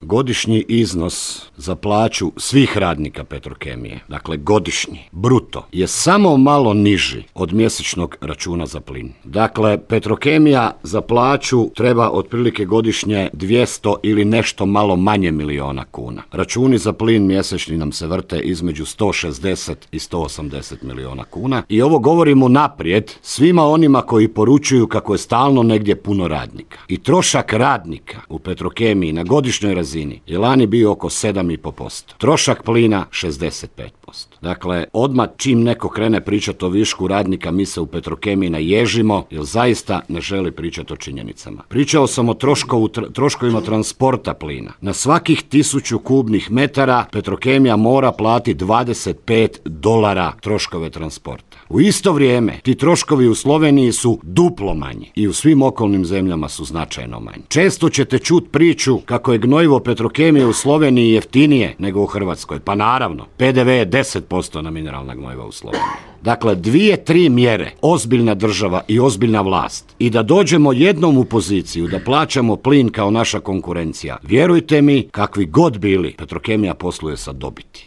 godišnji iznos za plaću svih radnika Petrokemije, dakle godišnji, bruto, je samo malo niži od mjesečnog računa za plin. Dakle, Petrokemija za plaću treba otprilike godišnje 200 ili nešto malo manje miliona kuna. Računi za plin mjesečni nam se vrte između 160 i 180 miliona kuna. I ovo govorimo naprijed svima onima koji poručuju kako je stalno negdje puno radnika. I trošak radnika u Petrokemiji na godišnjoj razini je lani bio oko 7,5%. Trošak plina 65%. Dakle, odmah čim neko krene pričati o višku radnika, mi se u Petrokemiji naježimo, jer zaista ne želi pričati o činjenicama. Pričao sam o troškovima transporta plina. Na svakih 1000 kubnih metara Petrokemija mora platiti $25 troškove transporta. U isto vrijeme ti troškovi u Sloveniji su duplo manji i u svim okolnim zemljama su značajno manji. Često ćete čuti priču kako je gnojivo Petrokemije u Sloveniji jeftinije nego u Hrvatskoj. Pa naravno, PDV je 10% na mineralna gnojiva u Sloveniji. Dakle, 2-3 mjere, ozbiljna država i ozbiljna vlast, i da dođemo jednom u poziciju da plaćamo plin kao naša konkurencija, vjerujte mi, kakvi god bili, Petrokemija posluje sa dobiti.